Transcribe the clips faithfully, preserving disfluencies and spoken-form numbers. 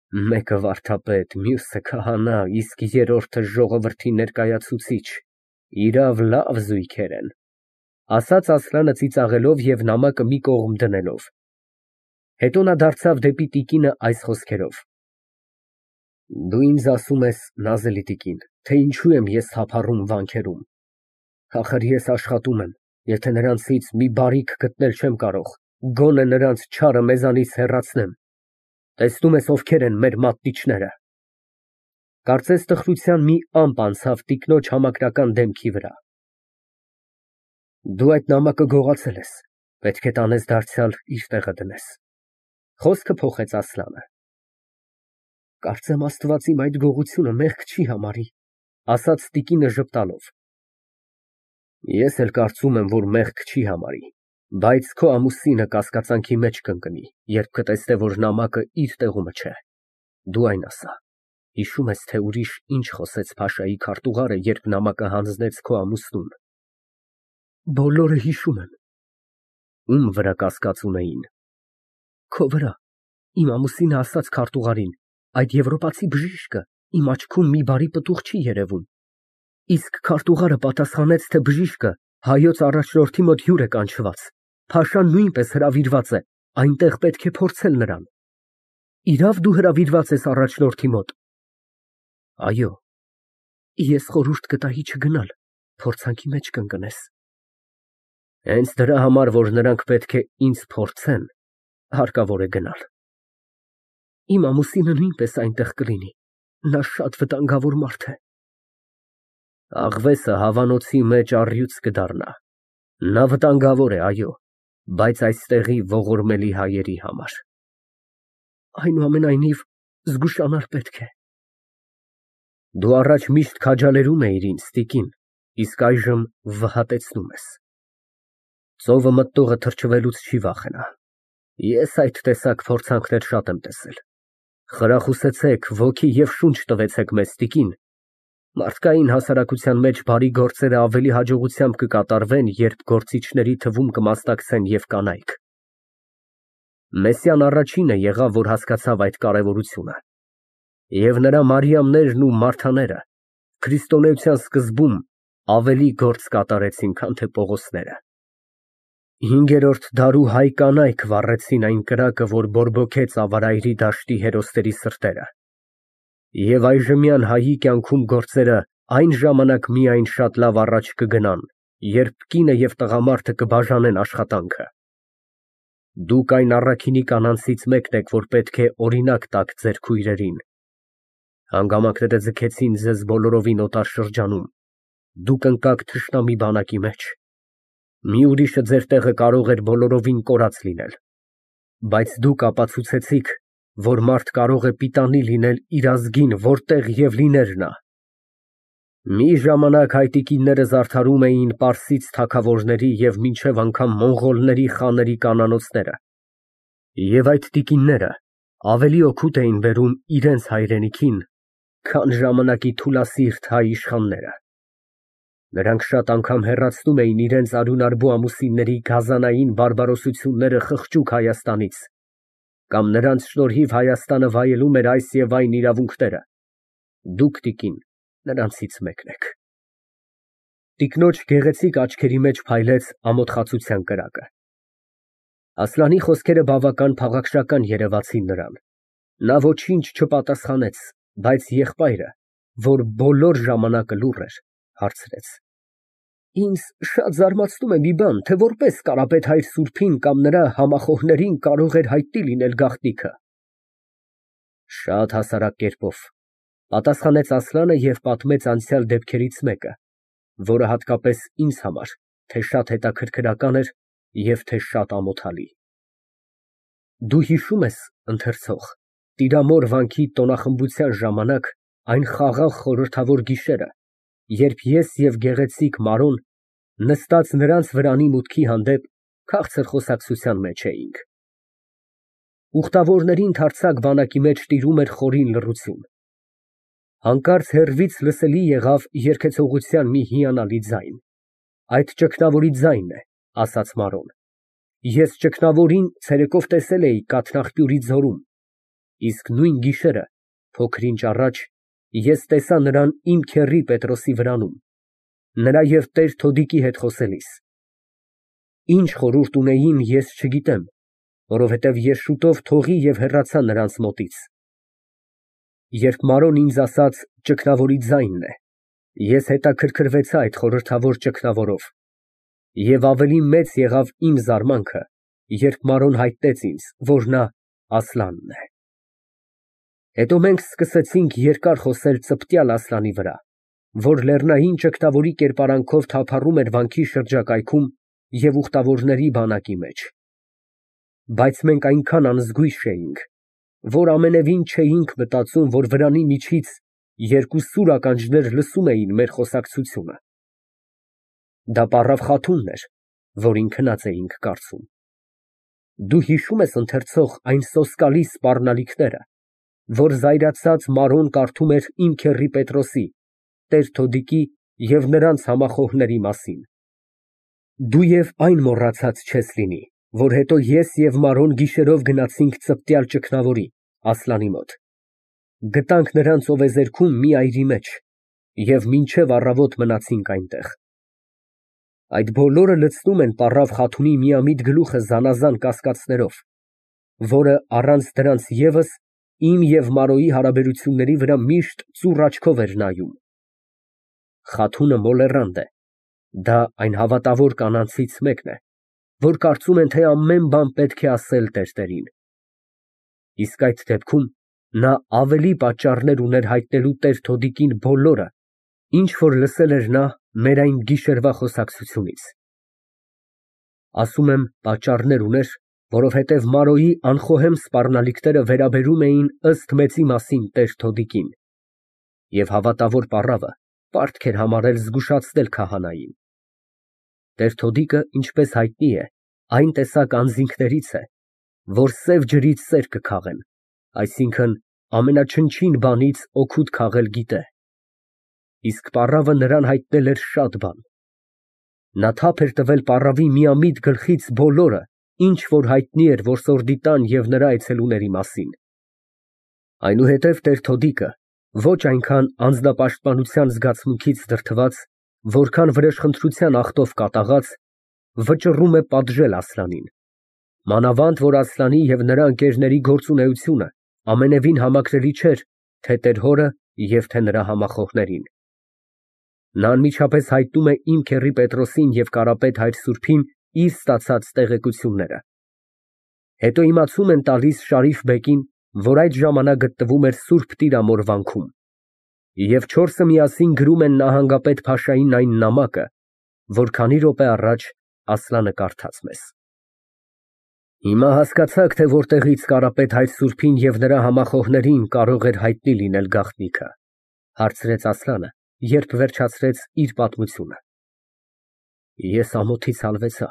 Մեկը վարդապետ, մյուսը քահանա, իսկ երրորդը ժողովրդի ներկայացուցիչ, իրավ լավ զույգեր են, ասաց Ասլանը ծիծաղելով և նամակը մի կողմ դնելով, հետո նա դարձավ դեպի տիկինը այս խոսքերով. Դու ինձ ասում ես, նազելի տիկին, թե ինչու եմ ես թափառում վանքերում, ախր ես աշխատում եմ, եթե նրանցից մի բարիք գտնել չեմ կարող, գոնե նրանց չարը մեզանից հեռացնեմ, տեսնում ես ովքեր են մեր մատնիչները։ Կարծես տխրության մի ամպ անցավ տիկնոջ համակրական դեմքի վրա։ Դու այդ նամակը գողացել ես, պետք է տանես դարձյալ իր տեղը դնես, խոսքը փոխեց Ասլանը։ Կարծեմ Աստված իմ այդ գողությունը մեղք չի համարի, ասաց տիկինը ժպտալով։ Ես էլ կարծում եմ, որ մեղք չի համարի, բայց քո ամուսինը կասկածանքի մեջ կընկնի, երբ կտեսնե, որ նամակը իր տեղումը չէ, դու այն ասա, հիշում ես, թե ուրիշ ինչ խոսեց փաշայի քարտուղարը, երբ նամակը հանձնեց քո ամուսնուն։ Բոլորը հիշում եմ։ Ում վրա կասկած ունեին։ Քո վրա, իմ ամուսինը ասաց քարտուղարին, այդ եվրոպացի բժիշկը իմ աչքում մի բարի պտուղ չի երևում, իսկ քարտուղարը պատասխանեց, թե բժիշկը հայոց առաջնորդի մոտ հյուր է կանչված, փաշան նույնպես հրավիրված է, այնտեղ պետք է փորձել նրան։ Իրավ դու հրավիրված ես առաջնորդի մոտ։ Այո, ես խորհուրդ կտայի չգնալ, փորձանքի մեջ կընկնես։ Հենց դրա համար, որ նրանք պետք է ինձ փորձեն, հարկավոր է գնալ։ Իմ ամուսինը նույնպես այնտեղ կլինի, նա շատ վտանգավոր մարդ է։ Աղվեսը հավանոցի մեջ առյուծ կդառնա, նա վտանգավոր է, այո, բայց այստեղի ողորմելի հայերի համար։ Այնուամենայնիվ, զգուշանալ պետք է։ Դու առաջ միշտ քաջալերում էիր ինձ, տիկին, իսկ այժմ վհատեցնում ես։ Ծովը մտնողը թրջվելուց չի վախենա։ Ես այդ տեսակ փորձանքներ շատ եմ տեսել։ Խրախուսեցեք, ոգի և շունչ տվեցեք մեզ, տիկին։ Մարդկային հասարակության մեջ բարի գործերը ավելի հաջողությամբ կկատարվեն, երբ գործիչների թվում կմասնակցեն և կանայք։ Մեսիան առաջինը եղավ, որ հասկացավ այդ կարևորությունը։ Եվ նրա Մարիամներն ու Մարթաները քրիստոնեության սկզբում ավելի գործ կատարեցին, քան թե Պողոսները։ Հինգերորդ դարու հայ կանայք վառեցին այն կրակը, որ բորբոքեց ավարայրի դաշտի հերոսների սրտերը։ Եվ այժմյան հայի կյանքում գործերը այն ժամանակ միայն շատ լավ առաջ կգնան, երբ կինը և տղամարդը կբաժանեն աշխատանքը։ Դուք այն առաքինի կանանցից մեկն եք, որ պետք է օրինակ տաք ձեր քույրերին։ Հանգամանքները ձգեցին ձեզ բոլորովին օտար շրջանում, դուք ընկաք թշնամի բանակի մեջ։ Մի ուրիշը ձեր տեղը կարող էր բոլորովին կորած լինել, բայց դուք ապացուցեցիք, որ մարդ կարող է պիտանի լինել իր ազգին, որտեղ և լիներ նա։ Մի ժամանակ հայ տիկինները զարդարում էին պարսից թագավորների և մինչև անգամ մոնղոլների խաների կանանոցները, և այդ տիկինները ավելի օգուտ էին բերում իրենց հայրենիքին, քան ժամանակի թուլասիրտ հայ իշխանները։ Նրանք շատ անգամ հեռացնում էին իրենց արյունարբու ամուսինների գազանային բարբարոսությունները խղճուկ Հայաստանից, կամ նրանց շնորհիվ Հայաստանը վայելում էր այս և այն իրավունքները։ Դուք, տիկին, նրանցից մեկն եք։ Տիկնոջ գեղեցիկ աչքերի մեջ փայլեց ամոթխածության կրակը։ Ասլանի խոսքերը բավական փաղաքշական երևացին նրան։ Նա ոչինչ չպատասխանեց, բայց եղբայրը, որ բոլոր ժամանակը լուռ էր, հարցրեց. Ինձ շատ զարմացնում է մի բան, թե որպես Կարապետ հայր սուրբին կամ նրա համախոհներին կարող էր հայտնի լինել գաղտնիքը։ Շատ հասարակ կերպով, պատասխանեց Ասլանը և պատմեց անցյալ դեպքերից մեկը, որը հատկապես ինձ համար թե շատ հետաքրքրական էր և թե շատ ամոթալի։ Դու հիշո՞ւմ ես, ընթերցող, Տիրամոր վանքի տոնախմբության ժամանակ այն խաղաղ խորհրդավոր գիշերը, երբ ես և գեղեցիկ Մարոն նստած նրանց վրանի մուտքի հանդեպ քաղցր խոսակցության մեջ էինք։ Ուխտավորների ընդարձակ բանակի մեջ տիրում էր խորին լռություն։ Հանկարծ հեռվից լսելի եղավ երգեցողության մի հիանալի ձայն։ Այդ ճգնավորի ձայնն է, ասաց Մարոն։ Ես ճգնավորին ցերեկով տեսել էի Կաթնաղբյուրի ձորում։ Իսկ նույն գիշերը, փոքր-ինչ առաջ, ես տեսա նրան իմ քեռի Պետրոսի վրանում, նրա և տեր Թոդիկի հետ խոսելիս։ Ինչ խորհուրդ ունեին, ես չգիտեմ, որովհետև ես շուտով թողի և հեռացա նրանց մոտից։ Երբ Մարոն ինձ ասաց ճգնավորի ձայնն է, ես հետաքրքրվեցա այդ խորհրդավոր ճգնավորով, և ավելի մեծ եղավ իմ զարմանքը, երբ Մարոն հայտնեց ինձ, որ նա Ասլանն է։ Հետո մենք սկսեցինք երկար խոսել ծպտյալ Ասլանի վրա, որ լեռնային ճգնավորի կերպարանքով թափառում էր վանքի շրջակայքում և ուխտավորների բանակի մեջ։ Բայց մենք այնքան անզգույշ էինք, որ ամենևին չէինք մտածում, որ վրանի միջից երկու սուր ականջներ լսում էին մեր խոսակցությունը։ Դա պառավ Խաթունն էր, որին քնած էինք կարծում։ Դու հիշո՞ւմ ես, ընթերցող, այն սոսկալի սպառնալիքները, որ զայրացած Մարոն կարդում էր իմ քեռի Պետրոսի, տեր Թոդիկի և նրանց համախոհների մասին։ Դու և այն մոռացած չես լինի, որ հետո ես և Մարոն գիշերով գնացինք ծպտյալ ճգնավորի, Ասլանի մոտ, գտանք նրան ծովեզերքում մի այրի մեջ և մինչև առավոտ մնացինք այնտեղ։ Այդ բոլորը լցնում են պառավ Խաթունի միամիտ գլուխը զանազան կասկածներով, որը առանց դրանց ևս իմ և Մարոյի հարաբերությունների վրա միշտ ծուռ աչքով էր նայում։ Խաթունը մոլեռանդ է, դա այն հավատավոր կանանցից մեկն է, որ կարծում են, թե ամեն բան պետք է ասել տերտերին։ Իսկ այդ դեպքում նա ավելի պատճառներ ուներ հայտնելու տեր Թոդիկին բոլորը, ինչ որ լսել էր նա մեր այն գիշերվա խոսակցությունից։ Ասում եմ պատճառներ ուներ, որովհետև Մարոյի անխոհեմ սպառնալիքները վերաբերում էին ըստ մեծի մասին տեր Թոդիկին, և հավատավոր պառավը պարտք էր համարել զգուշացնել քահանային։ Տեր Թոդիկը, ինչպես հայտնի է, այն տեսակ անձինքներից է, որ սև ջրից սեր կքաղեն, այսինքն ամենաչնչին բանից օգուտ քաղել գիտե։ Իսկ պառավը նրան հայտնել էր շատ բան։ Նա թափ էր տվել պառավի միամիտ գլխից բոլորը, ինչ որ հայտնի էր որսորդի տան և նրա այցելուների մասին։ Այնուհետև տեր Թոդիկը, ոչ այնքան անձնապաշտպանության զգացմունքից դրդված, որքան վրեժխնդրության ախտով կատաղած, վճռում է պատժել Ասլանին, մանավանդ որ Ասլանի և նրա ընկերների գործունեությունը ամենևին համակրելի չէր թե տեր հորը և թե նրա համախոհներին։ Նա անմիջապես հայտնում է իմ քեռի Պետրոսին և Կարապետ հայր սուրբին իր ստացած տեղեկությունները։ Հետո իմացում են տալիս Շարիֆ֊բեկին, որ այդ ժամանակ գտնվում էր Սուրբ Տիրամոր վանքում, և չորսը միասին գրում են նահանգապետ փաշային այն նամակը, որ քանի րոպե առաջ Ասլանը կարդաց մեզ։ Հիմա հասկացա՞ք, թե որտեղից Կարապետ հայր սուրբին և նրա համախոհներին կարող էր հայտնի լինել գաղտնիքը, հարցրեց Ասլանը, երբ վերջացրեց իր պատմությունը։ Ես ամոթից հալվեցա,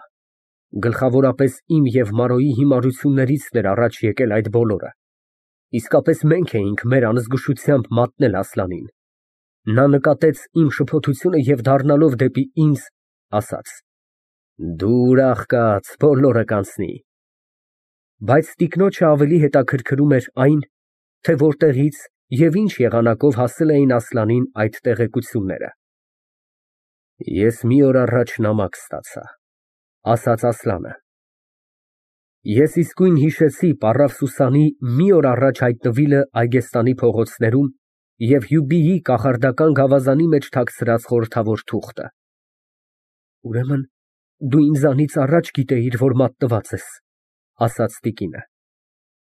գլխավորապես իմ և Մարոյի հիմարություններից էր առաջ եկել այդ բոլորը, իսկապես մենք էինք մեր անզգուշությամբ մատնել Ասլանին։ Նա նկատեց իմ շփոթությունը և դառնալով դեպի ինձ, ասաց. «Դու ուրախ կաց, բոլորը կանցնի»։ Բայց տիկնոջը ավելի հետաքրքրում էր այն, թե որտեղից և ինչ եղանակով հասել էին Ասլանին այդ տեղեկությունները։ Ես մի օր առաջ նամակ ստացա, ասաց Ասլանը։ Ես իսկույն հիշեցի պառավ Սուսանի մի օր առաջ հայտնվիլը Այգեստանի փողոցներում և Հյուբիի կախարդական գավազանի մեջ թաքցրած խորհրդավոր թուղթը։ Ուրեմն դու ինձանից առաջ գիտեիր, որ մատնված ես, ասաց տիկինը։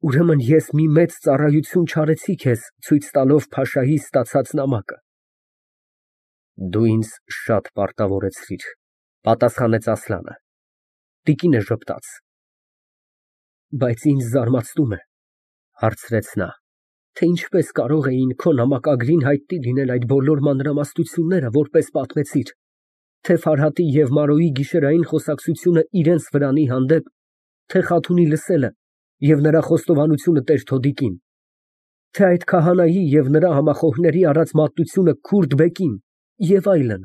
Ուրեմն ես մի մեծ ծառայություն չարեցի քեզ, ցույց տալով փաշայի ստացած նամակը։ Դու ինձ շատ պարտավորեցրիր, պատասխանեց Ասլանը։ Տիկինը ժպտաց։ Բայց ինձ զարմացնում է, հարցրեց նա, թե ինչպես կարող էին քո նամակագրին հայտնի լինել այդ բոլոր մանրամասնությունները, որպես պատմեցիր, թե Ֆարհատի և Մարոյի գիշերային խոսակցությունը իրենց վրանի հանդեպ, թե Խաթունի լսելը և նրա խոստովանությունը տեր Թոդիկին, թե այդ քահանայի և նրա համախոհների արած մատնությունը Քուրդ֊բեկին և այլն։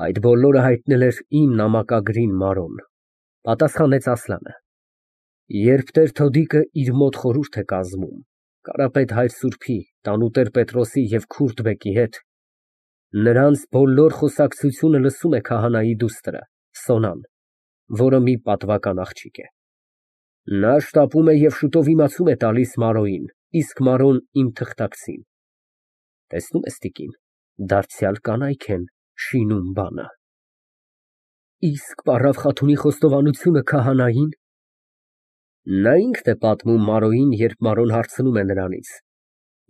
Այդ բոլորը հայտնել էր իմ նամակագրին Մարոն, պատասխանեց Ասլանը։ Երբ Տեր-Թոդիկը իր մոտ խորհուրդ է կազմում Կարապետ հայր սուրբի, տանուտեր Պետրոսի և Քուրդբեկի հետ, նրանց բոլոր խոսակցությունը լսում է քահանայի դուստրը Սոնան, որը մի պատվական աղջիկ է։ Նա շտապում է և շուտով իմացում է տալիս Մարոյին, իսկ Մարոն իմ թղթակցին։ Տեսնո՞ւմ ես, տիկին, դարձյալ կանայք են շինում բանը։ Իսկ պառավ Խաթունի խոստովանությունը քահանային։ Նա ինքն է պատմում Մարոյին, երբ Մարոն հարցնում է նրանից.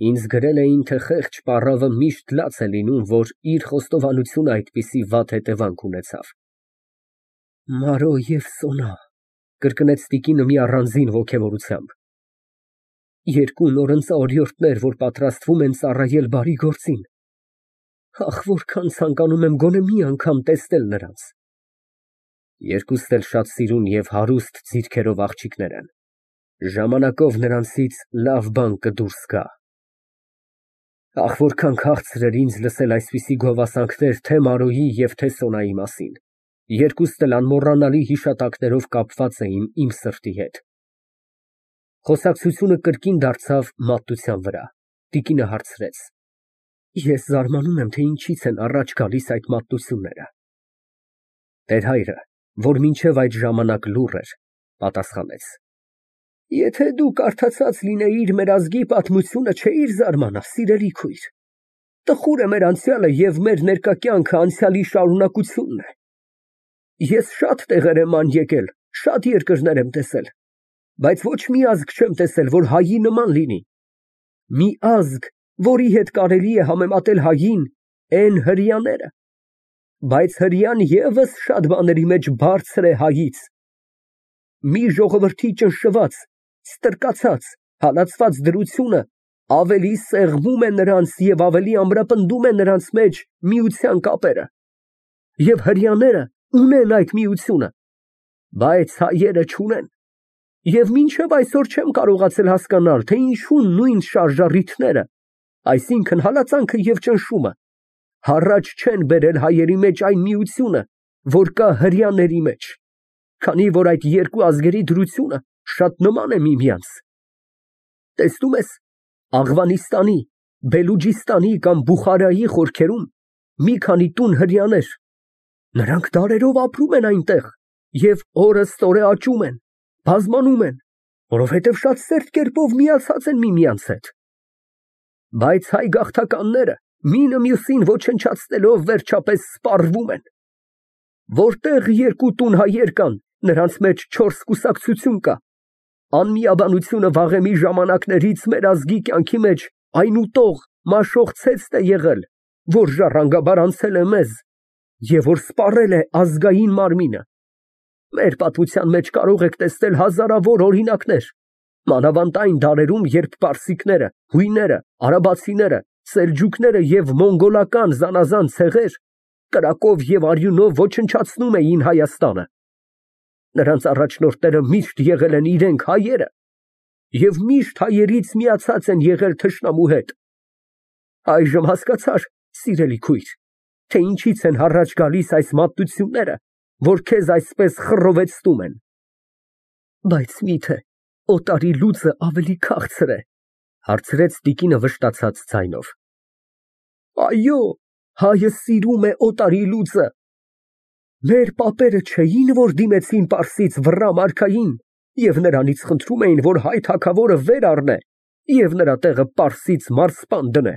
Ինձ գրել էին, թե խեղճ պառավը միշտ լաց է լինում, որ իր խոստովանությունը այդպիսի վատ հետևանք ունեցավ։ Մարո և Սոնա, կրկնեց տիկինը մի առանձին ոգևորությամբ, երկու նորընծա օրիորդներ, որ պատրաստվում են ծառայել բարի գործին։ Ախ, որքան ցանկանում եմ գոնե մի անգամ տեսնել նրանց։ Երկուսն էլ շատ սիրուն և հարուստ ձիրքերով աղջիկներ են։ Ժամանակով նրանցից լավ բան կդուրս գա։ Ախ, որքան քաղցր էր ինձ լսել այսպիսի գովասանքներ թե Մարոյի և թե Սոնայի մասին։ Երկուսն էլ անմոռանալի հիշատակներով կապված էին իմ սրտի հետ։ Խոսակցությունը կրկին դարձավ մատության վրա։ Տիկինը հարցրեց. Ես զարմանում եմ, թե ինչից են առաջ գալիս այդ մատնությունները։ Տեր հայրը, որ մինչև այդ ժամանակ լուռ էր, պատասխանեց. Եթե դու կարդացած լինեիր մեր ազգի պատմությունը, չէիր զարմանա, սիրելի քույր։ Տխուր է մեր անցյալը և մեր ներկա կյանքը անցյալի շարունակությունն է։ Ես շատ տեղեր եմ ման եկել, շատ երկրներ եմ տեսել, բայց ոչ մի ազգ չեմ տեսել, որ հայի նման լինի։ Մի ազգ, որի հետ կարելի է համեմատել հային, են հրեաները, բայց հրեան ևս շատ բաների մեջ բարձր է հայից։ Մի ժողովրդի ճնշված, ստրկացած, հալածված դրությունը ավելի սեղմում է նրանց և ավելի ամրապնդում է նրանց մեջ միության կապերը։ Եվ հրեաները ունեն այդ միությունը, բայց հայերը չունեն։ Եվ մինչև այսօր չեմ կարողացել հասկանալ, թե ինչու նույն շարժառիթները, այսինքն հալածանքը և ճնշումը, հառաջ չեն բերել հայերի մեջ այն միությունը, որ կա հրեաների մեջ, քանի որ այդ երկու ազգերի դրությունը շատ նման է միմյանց։ Տեսնում ես, Աղվանիստանի, Բելուջիստանի կամ Բուխարայի խորքերում մի քանի տուն հրեաներ, նրանք դարերով ապրում են այնտեղ և օրըստօրե աճում են, բազմանում են, որովհետև շատ սերտ կերպով միացած են միմյանց հետ։ Բայց հայ գաղթականները մինը մյուսին ոչնչացնելով վերջապես սպառվում են։ Որտեղ երկու տուն հայեր կան, նրանց մեջ չորս կուսակցություն կա։ Անմիաբանությունը վաղեմի ժամանակներից մեր ազգի կյանքի մեջ այն ուտող, մաշող ցեցտ է եղել, որ ժառանգաբար անցել է մեզ և որ սպառել է ազգային մարմինը։ Մեր պատմության մեջ կարող եք տեսնել հազարավոր օրինակներ, մանավանդ այն դարերում, երբ պարսիկները, հույները, արաբացիները, սելջուկները և մոնգոլական զանազան ցեղեր կրակով և արյունով ոչնչացնում էին Հայաստանը։ Նրանց առաջնորդները միշտ եղել են իրենք հայերը և միշտ հայերից միացած են եղել թշնամու հետ։ Այժմ հասկացա՞ր, սիրելի քույր, թե ինչից են առաջ գալիս այս մատնությունները, որ քեզ այսպես խռովեցնում են։ Բայց միթե օտարի լուծը ավելի քաղցր է, հարցրեց տիկինը վշտացած ձայնով։ Այո, հայը սիրում է օտարի լուծը։ Մեր պապերը չէին, որ դիմեցին Պարսից վռա մարքային և նրանից խնդրում էին, որ հայ թագավորը վեր առնե և նրա տեղը Պարսից մարզպան դնե,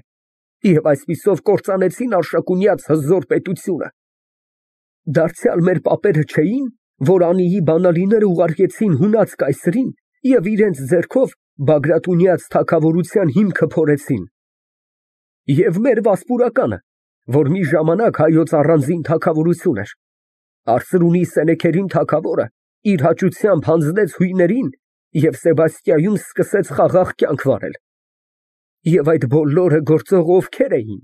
և այսպիսով կործանեցին Արշակունյաց հզոր պետությունը։ Դարձյալ մեր պապերը չէին, որ անիի բանալիները ուղարկեցին հունած կայսրին և իրենց ձեռքով Բագրատունյաց թագավորության հիմքը փորեցին։ Եվ մեր Վասպուրականը, որ մի ժամանակ հայոց առանձին թագավորություն էր, Արծրունի Սենեքերին թագավորը իր հաճությամբ հանձնեց հույներին և Սեբաստիայում սկսեց խաղաղ կյանք վարել։ Եվ այդ բոլորը գործող ովքեր էին։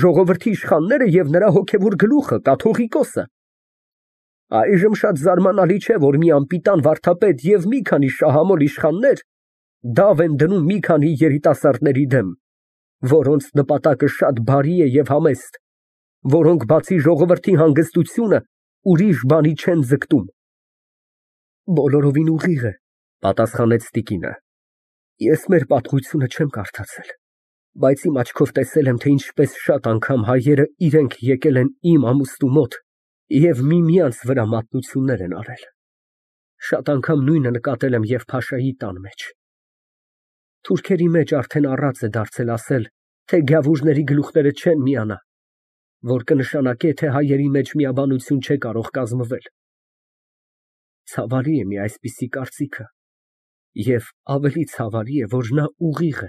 Ժողովրդի իշխանները և նրա հոգևոր գլուխը կաթողիկոսը։ Այժմ շատ զարմանալի չէ, որ մի անպիտան վարդապետ և մի քանի շահամոլ իշխաններ դավ են դնում մի քանի երիտասարդների դեմ, որոնց նպատակը շատ բարի է և համեստ, որոնք բացի ժողովրդի հանգստությունը ուրիշ բանի չեն ձգտում։ Բոլորովին ուղիղ է, Պատասխանեց տիկինը։ Ես մեր պատմությունը չեմ կարդացել, բայց իմ աչքով տեսել եմ, թե ինչպես շատ անգամ հայերը իրենք եկել են իմ ամուստու մոտ և միմյանց վրա մատնություններ են արել։ Շատ անգամ նույնը նկատել եմ և փաշայի տան մեջ։ Թուրքերի մեջ արդեն առած է դարձել ասել, թե գավուրների գլուխները չեն միանա, որ կնշանակե, թե հայերի մեջ միաբանություն չէ կարող կազմվել։ Ցավալի է մի այսպիսի կարծիքը, և ավելի ցավալի է, որ նա ուղիղ է։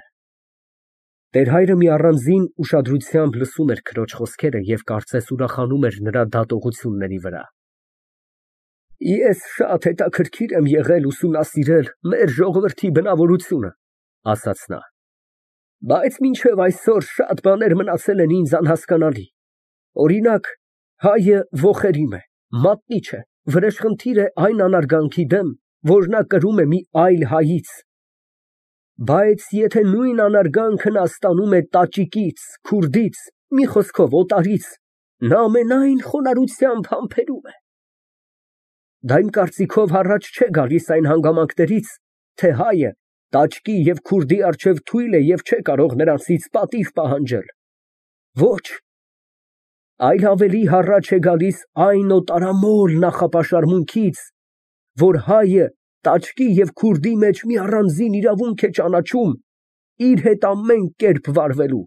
Տեր֊հայրը մի առանձին ուշադրությամբ լսում էր քրոջ խոսքերը և կարծես ուրախանում էր նրա դատողությունների վրա։ Ես շատ հետաքրքիր եմ եղել ուսումնասիրել մեր ժողովրդի բնավորությունը, ասաց նա, բայց մինչև այսօր շատ բաներ մնացել են ինձ անհասկանալի։ Օրինակ, հայը ոխերիմ է, մատնիչ է, վրեժխնդիր է այն անարգանքի դեմ, որ նա կրում է մի այլ հայից։ Բայց եթե նույն անարգանքը նա ստանում է տաճիկից, քուրդից, մի խոսքով օտարից, նա ամենայն խոնարհությամբ համբերում է։ Դա իմ կարծիքով առաջ չէ գալիս այն հանգամանքներից, թե հայը տաճկի և քուրդի առջև թույլ է և չէ կարող նրանցից պատիվ պահանջել։ Ոչ, այլ ավելի հառաչ է գալիս այն օտարամոլ նախապաշարմունքից, որ հայը տաճկի և քուրդի մեջ մի առանձին իրավունք է ճանաչում իր հետ ամեն կերպ վարվելու։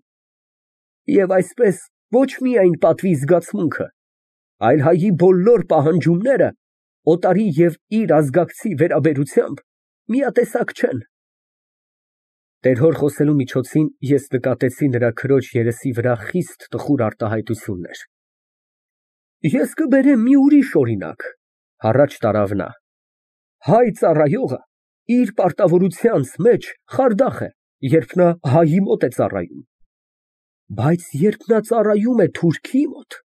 Եվ այսպես ոչ միայն պատվի զգացմունքը, այլ հայի բոլոր պահանջումները օտարի և իր ազգակցի վերաբերությամբ միատեսակ չեն։ Տեր֊հոր խոսելու միջոցին ես նկատեցի նրա քրոջ երեսի վրա խիստ տխուր արտահայտություններ։ Ես կբերեմ մի ուրիշ օրինակ, հառաչ տարավ նա. հայ ծառայողը իր պարտավորությանց մեջ խարդախ է, երբ նա հայի մոտ է ծառայում, բայց երբ նա ծառայում է թուրքի մոտ,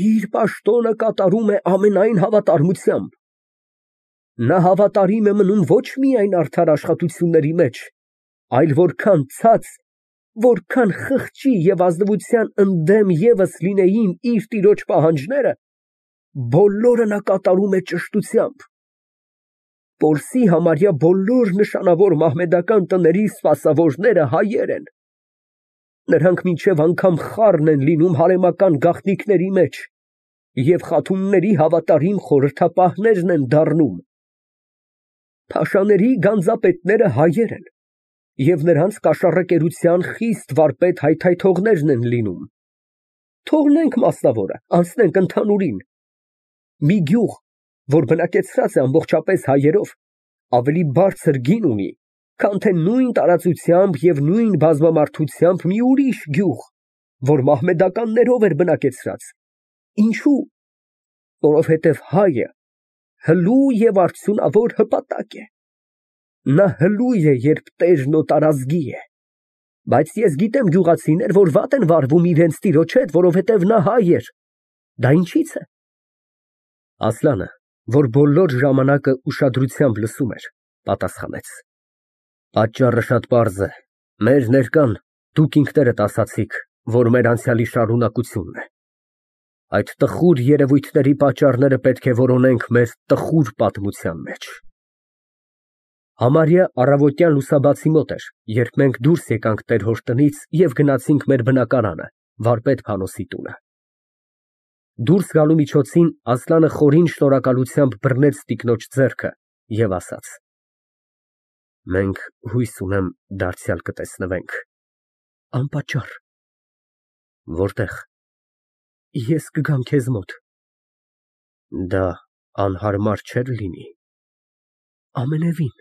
իր պաշտոնը կատարում է ամենայն հավատարմությամբ։ Նա հավատարիմ է մնում ոչ միայն արդար աշխատությունների մեջ, այլ որքան ցած, որքան խղճի և ազնվության ընդդեմ ևս լինեին իր տիրոջ պահանջները, բոլորը նա կատարում է ճշտությամբ։ Պորսի համարյա բոլոր նշանավոր մահմեդական տների սպասավորները հայեր են։ Նրանք մինչև անգամ խառն են լինում հարեմական գաղտնիքների մեջ և խաթունների հավատարիմ խորհրդապահներն են դառնում։ Փաշաների գանձապետները հայեր են և նրանց կաշառակերության խիստ վարպետ հայթայթողներն են լինում։ Թողնենք մասնավորը, անցնենք ընդհանուրին։ Մի գյուղ, որ բնակեցված է ամբողջապես հայերով, ավելի բարձր գին ունի, քան թե նույն տարածությամբ և նույն բազմամարդությամբ մի ուրիշ գյուղ, որ մահմեդականներով էր բնակեցված։ Ինչո՞ւ։ Որովհետև հայը հլու և արդյունավոր հպատակ է։ Նա հլուй է, երբ տերն օտարազգի է։ Բայց ես գիտեմ գյուղացիներ, որ վատ են վարվում իրենց տիրոջ հետ, որովհետև նա հայ էր։ Դա ինչի՞ց է։ Ասլանը, որ բոլոր ժամանակը ուշադրությամբ լսում էր, պատասխանեց. Պատճառը շատ պարզ է։ Մեր ներկան դուք ինքներդ ասացիք, որ մեր անցյալի շարունակությունն է։ Այդ տխուր երևույթների պատճառները պետք է որոնենք մեր տխուր պատմության մեջ։ Համարյա առավոտյան լուսաբացի մոտ էր, երբ մենք դուրս եկանք տեր֊հոր տնից և գնացինք մեր բնակարանը, վարպետ Փանոսի տունը։ Դուրս գալու միջոցին Ասլանը խորին շնորհակալությամբ բռնեց տիկնոջ ձեռքը և ասաց. Մենք հույս ունեմ դարձյալ կտեսնվենք։ Անպատճառ։ Որտե՞ղ։ Ես կգամ քեզ մոտ։ Դա անհարմար չէր լինի։ Ամենևին։